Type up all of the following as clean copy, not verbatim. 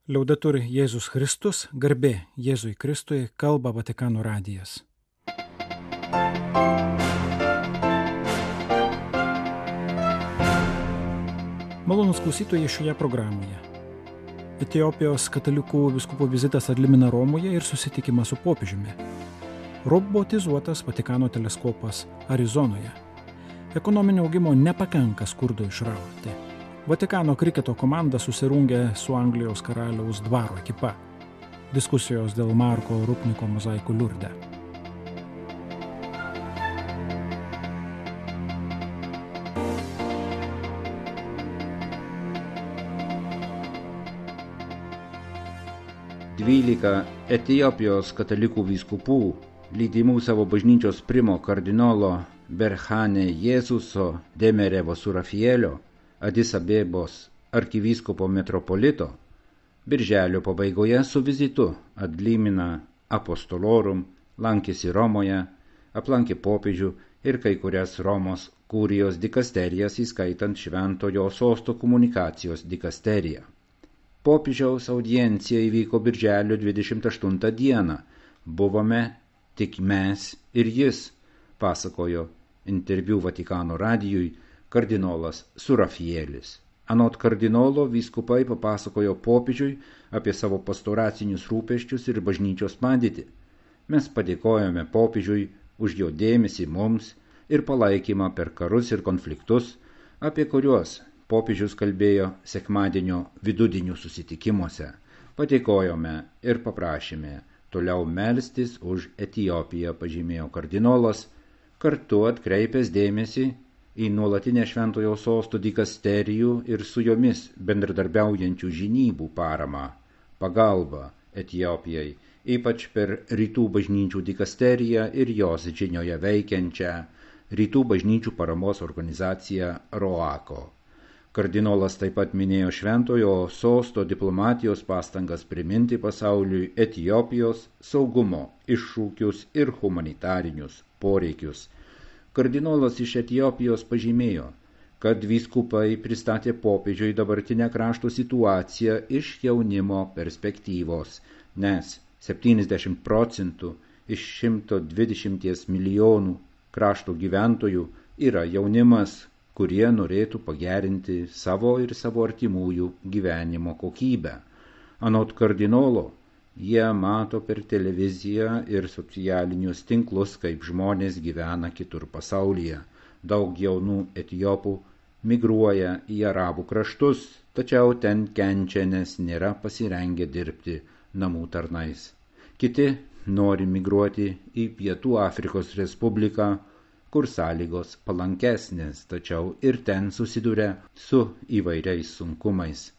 Liaudetur Jėzus Kristus, garbė Jėzui Kristui, kalba Vatikano radijas. Malonūs klausytojai šioje programoje. Etiopijos katalikų vyskupų vizitas ad limina Romoje ir susitikimas su popiežiumi. Robotizuotas Vatikano teleskopas Arizonoje. Ekonominio augimo nepakanka skurdo išrauti. Vatikano kriketo komanda susirungė su Anglijos karaliaus dvaro ekipa. Diskusijos dėl Marko Rupniko mozaikų Liurde. Dvylika Etiopijos katalikų vyskupų, lydimų savo bažnyčios primo kardinolo Berhane Jėzuso Demerevo Surafielio, Adis Abebos arkivyskupo metropolito, birželio pabaigoje su vizitu ad limina apostolorum lankėsi Romoje, aplankė popiežių ir kai kurias Romos kurijos dikasterijas, įskaitant Šventojo Sosto komunikacijos dikasteriją. Popiežiaus audiencija įvyko birželio 28 dieną. Buvome tik mes ir jis, pasakojo interviu Vatikano radijui kardinolas Surafielis. Anot kardinolo vyskupai papasakojo popiežiui apie savo pastoracinius rūpesčius ir bažnyčios padėtį. Mes padėkojome popiežiui už jo dėmesį mums ir palaikymą per karus ir konfliktus, apie kuriuos popiežius kalbėjo sekmadienio vidudienių susitikimuose. Padėkojome ir paprašėme toliau melstis už Etiopiją, pažymėjo kardinolas, kartu atkreipęs dėmesį į nuolatinę Šventojo Sosto dikasterijų ir su jomis bendradarbiaujančių žinybų paramą, pagalbą Etiopijai, ypač per Rytų bažnyčių dikasteriją ir jos žinioje veikiančią Rytų bažnyčių paramos organizaciją ROACO. Kardinolas taip pat minėjo Šventojo Sosto diplomatijos pastangas priminti pasauliui Etiopijos saugumo iššūkius ir humanitarinius poreikius. Kardinolas iš Etiopijos pažymėjo, kad vyskupai pristatė popiežiui dabartinę krašto situaciją iš jaunimo perspektyvos, nes 70% iš 120 milijonų krašto gyventojų yra jaunimas, kurie norėtų pagerinti savo ir savo artimųjų gyvenimo kokybę. Anot kardinolo, jie mato per televiziją ir socialinius tinklus, kaip žmonės gyvena kitur pasaulyje. Daug jaunų etiopų migruoja į arabų kraštus, tačiau ten kenčia, nes nėra pasirengę dirbti namų tarnais. Kiti nori migruoti į Pietų Afrikos Respubliką, kur sąlygos palankesnės, tačiau ir ten susiduria su įvairiais sunkumais.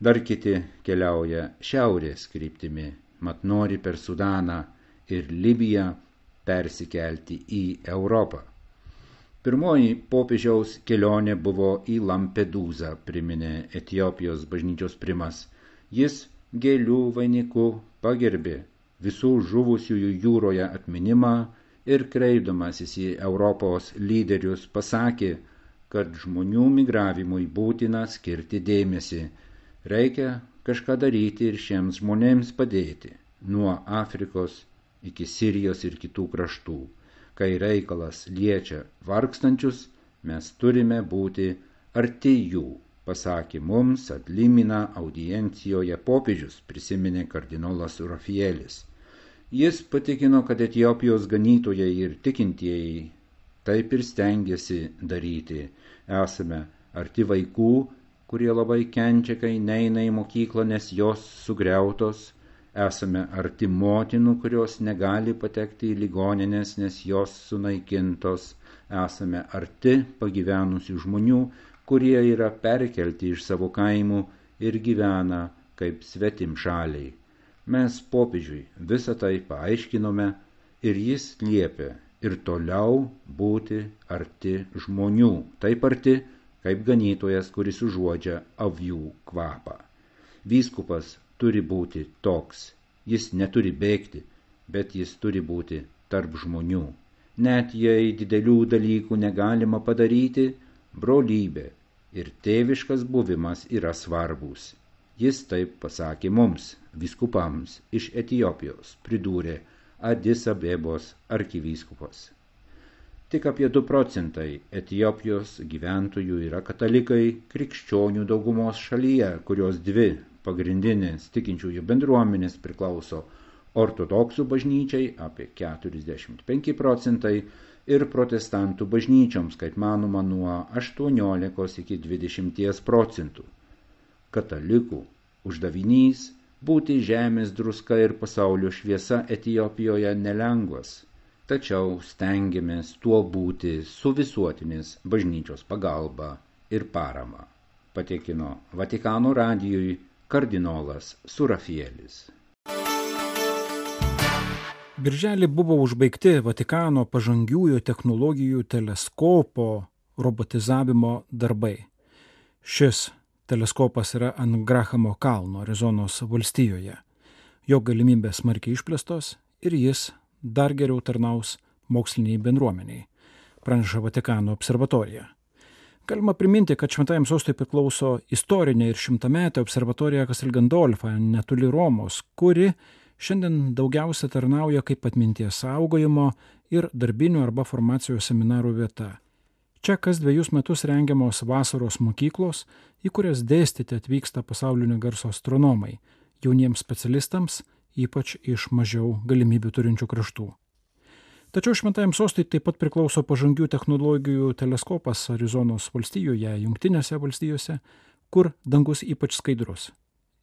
Dar kiti keliauja šiaurės kryptimi, mat nori per Sudaną ir Libiją persikelti į Europą. Pirmoji popiežiaus kelionė buvo į Lampedūzą, priminė Etiopijos bažnyčios primas. Jis gėlių vainiku pagerbė visų žuvusiųjų jūroje atminimą ir kreipdamasis į Europos lyderius pasakė, kad žmonių migravimui būtina skirti dėmesį. Reikia kažką daryti ir šiems žmonėms padėti, nuo Afrikos iki Sirijos ir kitų kraštų. Kai reikalas liečia vargstančius, mes turime būti arti jų, pasakė mums ad limina audiencijoje popiežius, prisiminė kardinolas Surafielis. Jis patikino, kad Etiopijos ganytojai ir tikintieji taip ir stengiasi daryti. Esame arti vaikų, kurie labai kenčia, kai neina į mokyklą, nes jos sugriautos. Esame arti motinų, kurios negali patekti į ligonines, nes jos sunaikintos. Esame arti pagyvenusių žmonių, kurie yra perkelti iš savo kaimų ir gyvena kaip svetimšaliai. Mes popiežiui visą tai paaiškinome ir jis liepė ir toliau būti arti žmonių, taip arti, kaip ganytojas, kuris užuodžia avių kvapą. Vyskupas turi būti toks. Jis neturi bėgti, bet jis turi būti tarp žmonių. Net jei didelių dalykų negalima padaryti, brolybė ir tėviškas buvimas yra svarbus. Jis taip pasakė mums, vyskupams iš Etiopijos, pridūrė Adis Abebos arkivyskupas. Tik apie 2 procentai Etiopijos gyventojų yra katalikai krikščionių daugumos šalyje, kurios 2 pagrindinės tikinčiųjų bendruomenės priklauso ortodoksų bažnyčiai apie 45 procentai ir protestantų bažnyčioms, kaip manoma, nuo 18 iki 20 procentų. Katalikų uždavinys būti žemės druska ir pasaulio šviesa Etiopijoje nelengvas, tačiau stengiamės tuo būti su visuotinės bažnyčios pagalba ir parama, patikino Vatikano radijui kardinolas Surafielis. Birželį buvo užbaigti Vatikano pažangiųjų technologijų teleskopo robotizavimo darbai. Šis teleskopas yra ant Grahamo kalno Arizonos valstijoje. Jo galimybės smarkiai išplėstos ir jis dar geriau tarnaus moksliniai bendruomeniai, praneša Vatikano observatorija. Galima priminti, kad Šventajam sostui priklauso istorinė ir 100-metė observatorija Castel Gandolfo netoli Romos, kuri šiandien daugiausia tarnauja kaip atminties saugojimo ir darbinių arba formacijos seminarų vieta. Čia kas 2 metus rengiamos vasaros mokyklos, į kurias dėstyti atvyksta pasaulinio garso astronomai, jauniems specialistams, ypač iš mažiau galimybių turinčių kraštų. Tačiau Šventajam sostui taip pat priklauso pažangių technologijų teleskopas Arizonos valstijoje, Jungtinėse valstijose, kur dangus ypač skaidrus.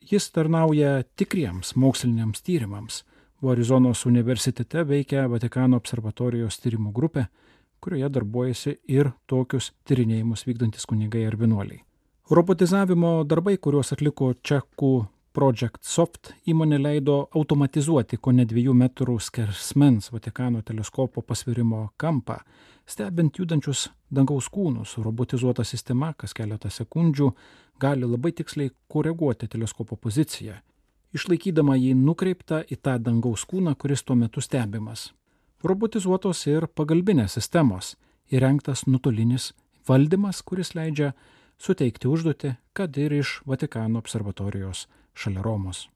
Jis tarnauja tikriems moksliniams tyrimams, o Arizonos universitete veikia Vatikano observatorijos tyrimų grupė, kurioje darbuojasi ir tokius tyrinėjimus vykdantis kunigai ar vienuoliai. Robotizavimo darbai, kuriuos atliko čekų Project Soft įmonė, leido automatizuoti kone 2 metrų skersmens Vatikano teleskopo pasvirimo kampą, stebint judančius dangaus kūnus. Robotizuota sistema kas keletą sekundžių gali labai tiksliai koreguoti teleskopo poziciją, išlaikydama jį nukreiptą į tą dangaus kūną, kuris tuo metu stebimas. Robotizuotos ir pagalbinės sistemos, įrengtas nuotolinis valdymas, kuris leidžia suteikti užduotį, kad ir iš Vatikano observatorijos šalia Romos.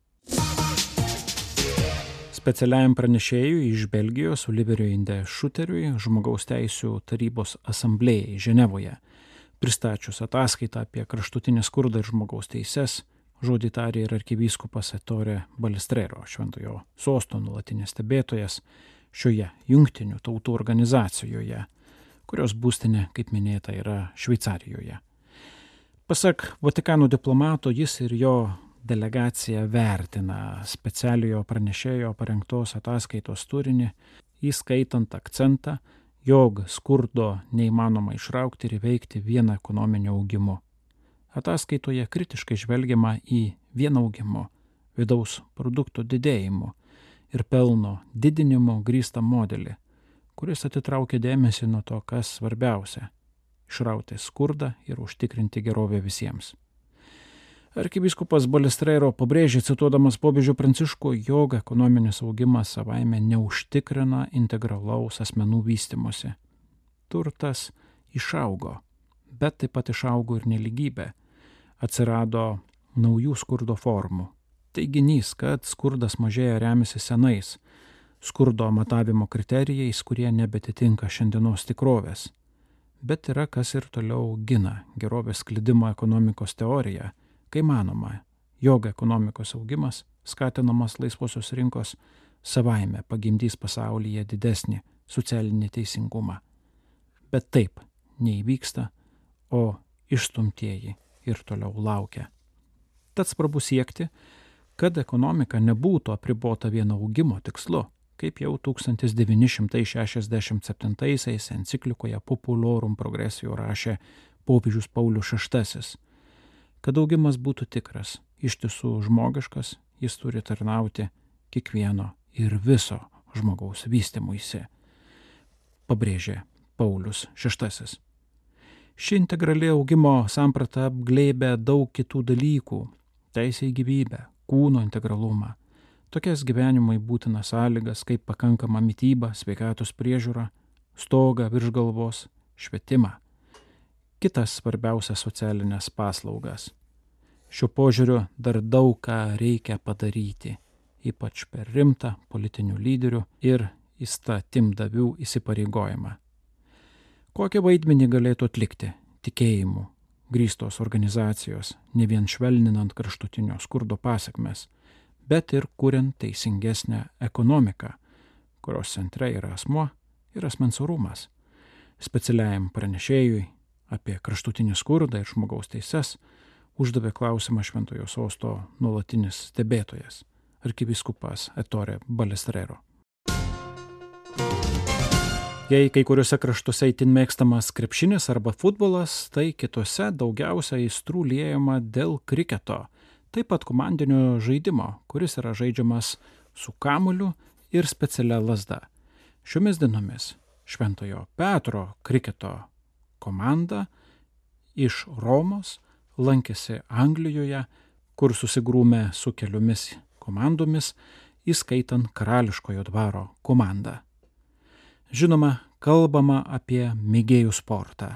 Specialiajam pranešėjui iš Belgijos Oliveriui Inde Šuteriui žmogaus teisių tarybos asamblėjai Ženevoje, pristačius ataskaitą apie kraštutinį skurdą ir žmogaus teises, žodį tarė ir arkivyskupas Ettore Balestrero, Šventojo sosto nuolatinis stebėtojas šioje jungtinių tautų organizacijoje, kurios būstinė, kaip minėta, yra Šveicarijoje. Pasak Vatikano diplomato, jis ir jo delegacija vertina specialiojo pranešėjo parengtos ataskaitos turinį, įskaitant akcentą, jog skurdo neįmanoma išraukti ir įveikti vien ekonominiu augimu. Ataskaitoje kritiškai žvelgiama į vien augimu, vidaus produkto didėjimu ir pelno didinimo grįstą modelį, kuris atitraukia dėmesį nuo to, kas svarbiausia – išrauti skurdą ir užtikrinti gerovę visiems. Arkivyskupas Balestrero pabrėžė, cituodamas popiežių Pranciškų, jog ekonominis augimas savaime neužtikrina integralaus asmenų vystymosi. Turtas išaugo, bet taip pat išaugo ir nelygybė. Atsirado naujų skurdo formų. Teiginys, kad skurdas mažėja, remiasi senais skurdo matavimo kriterijais, kurie nebetitinka šiandienos tikrovės. Bet yra kas ir toliau gina gerovės sklidimo ekonomikos teoriją, kai manoma, jog ekonomikos augimas, skatinamas laisvosios rinkos, savaime pagimdys pasaulyje didesnį socialinį teisingumą. Bet taip neįvyksta, o išstumtieji ir toliau laukia. Tad svarbu siekti, kad ekonomika nebūtų apribota vien augimo tikslu, kaip jau 1967 enciklikoje Populorum Progressio rašė popiežius Paulius VI. Kad augimas būtų tikras, ištisų žmogiškas, jis turi tarnauti kiekvieno ir viso žmogaus vystymuisi, pabrėžė Paulius VI. Ši integrali augimo samprata apglėbia daug kitų dalykų – teisę į gyvybę, kūno integralumą, tokias gyvenimui būtinas sąlygas kaip pakankama mityba, sveikatos priežiūra, stogą virš galvos, švietimą, kitas svarbiausias socialinės paslaugas. Šiuo požiūriu dar daug ką reikia padaryti, ypač per rimtą politinių lyderių ir įstatymdavių įsipareigojimą. Kokį vaidmenį galėtų atlikti tikėjimu grįstos organizacijos, ne vien švelninant kraštutinio skurdo pasekmes, bet ir kuriant teisingesnę ekonomiką, kurios centre yra asmuo ir asmens orumas. Specialiajam pranešėjui apie kraštutinį skurdą ir žmogaus teises uždavė klausimą Šventojo Sosto nuolatinis stebėtojas, arkivyskupas Ettore Balestrero. Jei kai kuriuose kraštuose itin mėgstamas krepšinis arba futbolas, tai kitose daugiausia aistrų liejama dėl kriketo, taip pat komandinio žaidimo, kuris yra žaidžiamas su kamuoliu ir specialia lazda. Šiomis dienomis Šventojo Petro kriketo komanda iš Romos lankėsi Anglijoje, kur susigrūmė su keliomis komandomis, įskaitant Karališkojo dvaro komandą. Žinoma, kalbama apie mėgėjų sportą,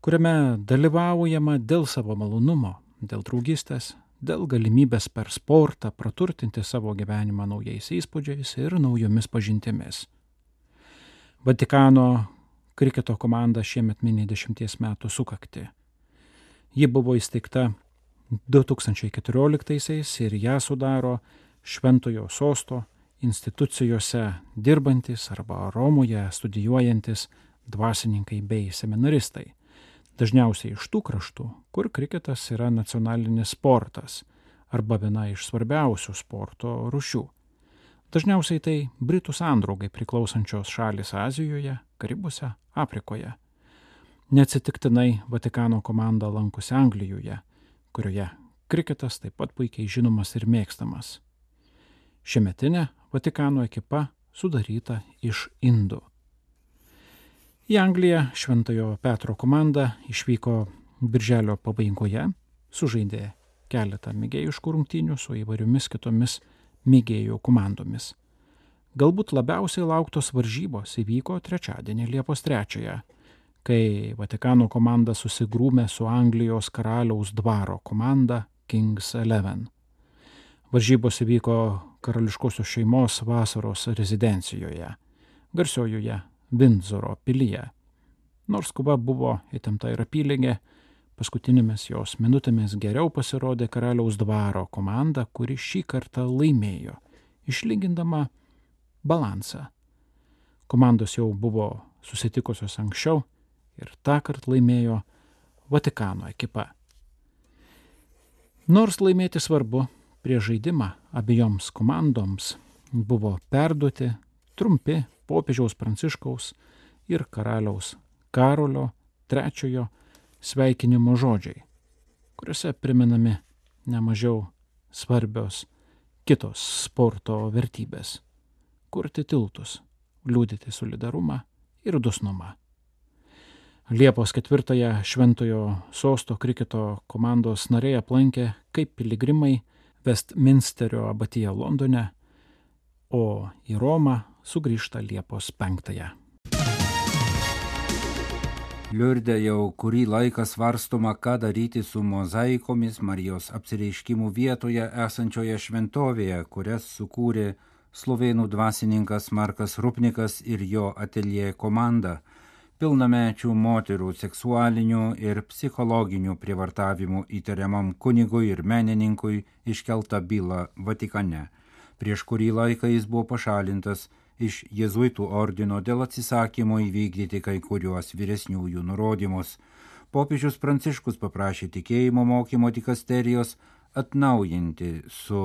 kuriame dalyvaujama dėl savo malonumo, dėl draugystės, dėl galimybės per sportą praturtinti savo gyvenimą naujais įspūdžiais ir naujomis pažintimis. Vatikano kriketo komanda šiemet mini 10 metų sukaktį. Ji buvo įsteigta 2014 ir ją sudaro Šventojo Sosto institucijose dirbantis arba Romoje studijuojantis dvasininkai bei seminaristai, dažniausiai iš tų kraštų, kur kriketas yra nacionalinis sportas arba viena iš svarbiausių sporto rūšių. Dažniausiai tai Britų sandraugai priklausančios šalys Azijoje, Karibuose, Afrikoje. Neatsitiktinai Vatikano komanda lankosi Anglijoje, kurioje kriketas taip pat puikiai žinomas ir mėgstamas. Šiemetinė Vatikano ekipa sudaryta iš indų. Į Angliją Šventojo Petro komanda išvyko birželio pabaigoje, sužaidė keletą mėgėjiškų rungtynių su įvairiomis kitomis mėgėjų komandomis. Galbūt labiausiai lauktos varžybos įvyko trečiadienį Liepos 3, kai Vatikano komanda susigrūmė su Anglijos karaliaus dvaro komanda King's 11. Varžybos įvyko karališkosios šeimos vasaros rezidencijoje, garsiojoje Vindzoro pilyje. Nors kova buvo įtempta ir apylygė, paskutinėmis jos minutėmis geriau pasirodė karaliaus dvaro komanda, kuri šį kartą laimėjo, išlygindama balansą. Komandos jau buvo susitikusios anksčiau ir tąkart laimėjo Vatikano ekipa. Nors laimėti svarbu, prieš žaidimą abiejoms komandoms buvo perduoti trumpi popiežiaus Pranciškaus ir karaliaus Karolio III sveikinimo žodžiai, kuriuose priminami nemažiau svarbios kitos sporto vertybės – kurti tiltus, liudyti solidarumą ir dosnumą. Liepos 4 Šventojo Sosto kriketo komandos nariai aplankė kaip piligrimai Westminsterio abatiją Londone, o į Romą sugrįžta Liepos 5. Liurde jau kurį laiką svarstoma, ką daryti su mozaikomis Marijos apsireiškimų vietoje esančioje šventovėje, kurias sukūrė slovėnų dvasininkas Markas Rupnikas ir jo ateljė komanda, pilnamečių moterų seksualinių ir psichologinių prievartavimų įtariamam kunigui ir menininkui iškelta byla Vatikane. Prieš kurį laiką jis buvo pašalintas iš jėzuitų ordino dėl atsisakymo įvykdyti kai kuriuos vyresniųjų nurodymus. Popiežius Pranciškus paprašė tikėjimo mokymo dikasterijos atnaujinti su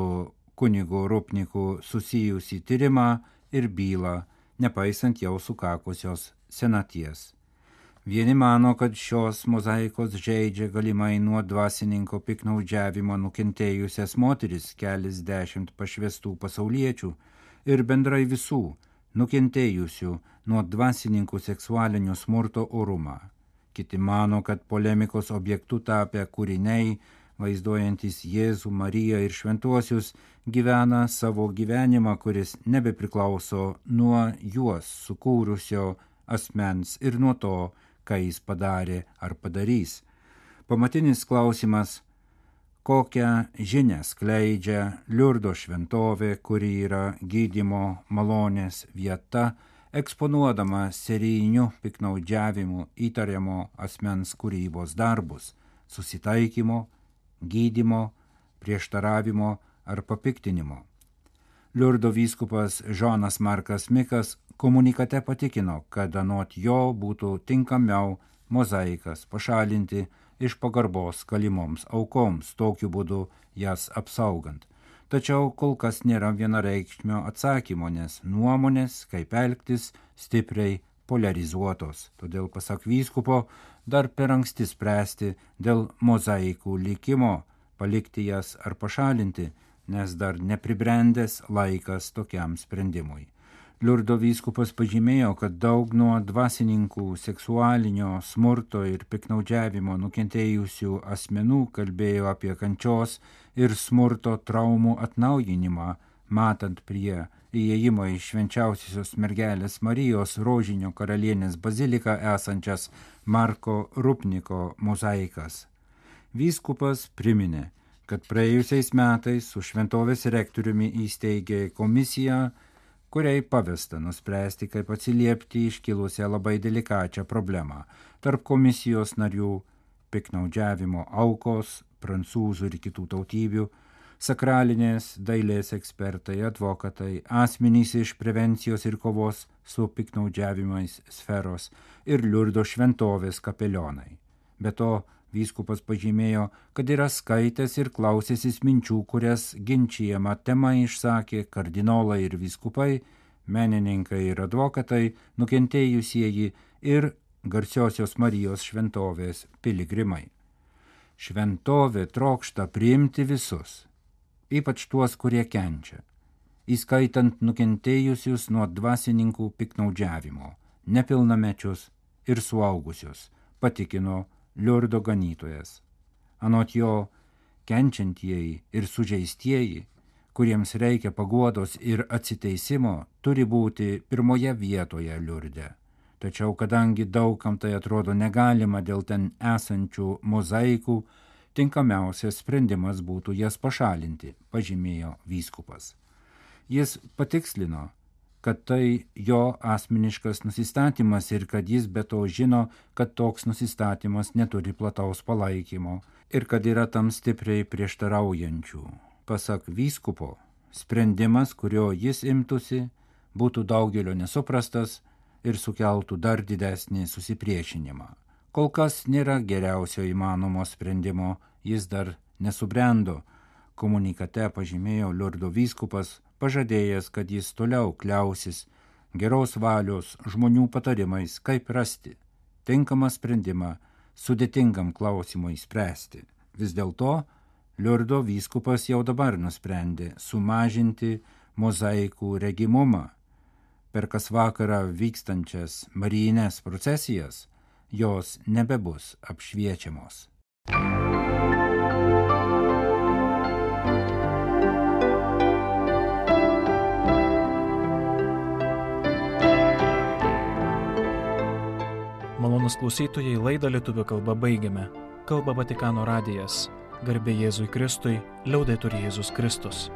kunigu Rupniku susijusį tyrimą ir bylą, nepaisant jau sukakusios senaties. Vieni mano, kad šios mozaikos žeidžia galimai nuo dvasininko piknaudžiavimo nukentėjusias moteris, keliasdešimt pašvestų pasauliečių ir bendrai visų nukentėjusių nuo dvasininkų seksualinio smurto orumą. Kiti mano, kad polemikos objektu tapę kūriniai, vaizduojantis Jėzų, Mariją ir šventuosius, gyvena savo gyvenimą, kuris nebepriklauso nuo juos sukūrusio asmens ir nuo to, ką jis padarė ar padarys. Pamatinis klausimas, kokią žinią skleidžia Liurdo šventovė, kuri yra gydymo malonės vieta, eksponuodama serijiniu piknaudžiavimu įtariamo asmens kūrybos darbus, susitaikymo, gydymo, prieštaravimo ar papiktinimo. Liurdo vyskupas Žonas Markas Mikas komunikate patikino, kad anot jo būtų tinkamiau mozaikas pašalinti iš pagarbos kalimoms aukoms, tokiu būdu jas apsaugant. Tačiau kol kas nėra vienareikšmio atsakymo, nes nuomonės, kaip elgtis, stipriai polarizuotos. Todėl, pasak vyskupo, dar per anksti spręsti dėl mozaikų likimo, palikti jas ar pašalinti, nes dar nepribrendęs laikas tokiam sprendimui. Liurdo vyskupas pažymėjo, kad daug nuo dvasininkų seksualinio smurto ir piknaudžiavimo nukentėjusių asmenų kalbėjo apie kančios ir smurto traumų atnaujinimą, matant prie įėjimo į švenčiausiosios mergelės Marijos Rožinio karalienės baziliką esančias Marko Rupniko mozaikas. Vyskupas priminė, kad praėjusiais metais su šventovės rektoriumi įsteigė komisiją, kuriai pavesta nuspręsti, kaip atsiliepti iškilusią labai delikačią problemą. Tarp komisijos narių piknaudžiavimo aukos, prancūzų ir kitų tautybių, sakralinės dailės ekspertai, advokatai, asmenys iš prevencijos ir kovos su piknaudžiavimais sferos ir Liurdo šventovės kapelionai. Be to, vyskupas pažymėjo, kad yra skaitęs ir klausęsis minčių, kurias ginčijama tema išsakė kardinolai ir vyskupai, menininkai ir advokatai, nukentėjusieji ir garsiosios Marijos šventovės piligrimai. Šventovė trokšta priimti visus, ypač tuos, kurie kenčia, įskaitant nukentėjusius nuo dvasininkų piknaudžiavimo, nepilnamečius ir suaugusius, patikino Liurdo ganytojas. Anot jo, kenčiantieji ir sužeistieji, kuriems reikia paguodos ir atsiteisimo, turi būti pirmoje vietoje Liurde. Tačiau kadangi daugam tai atrodo negalima dėl ten esančių mozaikų, tinkamiausias sprendimas būtų jas pašalinti, pažymėjo vyskupas. Jis patikslino, kad tai jo asmeniškas nusistatymas ir kad jis be to žino, kad toks nusistatymas neturi plataus palaikymo ir kad yra tam stipriai prieštaraujančių. Pasak vyskupo, sprendimas, kurio jis imtųsi, būtų daugelio nesuprastas ir sukeltų dar didesnį susipriešinimą. Kol kas nėra geriausio įmanomo sprendimo, jis dar nesubrendo, komunikate pažymėjo Liurdo vyskupas, pažadėjęs, kad jis toliau kliausis geros valios žmonių patarimais, kaip rasti tinkamą sprendimą sudėtingam klausimui spręsti. Vis dėlto Liurdo vyskupas jau dabar nusprendė sumažinti mozaikų regimumą. Per kas vakarą vykstančias marijines procesijas jos nebebus apšviečiamos. Malonūs klausytojai, laidą lietuvių kalba baigiame. Kalba Vatikano radijas. Garbė Jėzui Kristui, liaudetur Jėzus Kristus.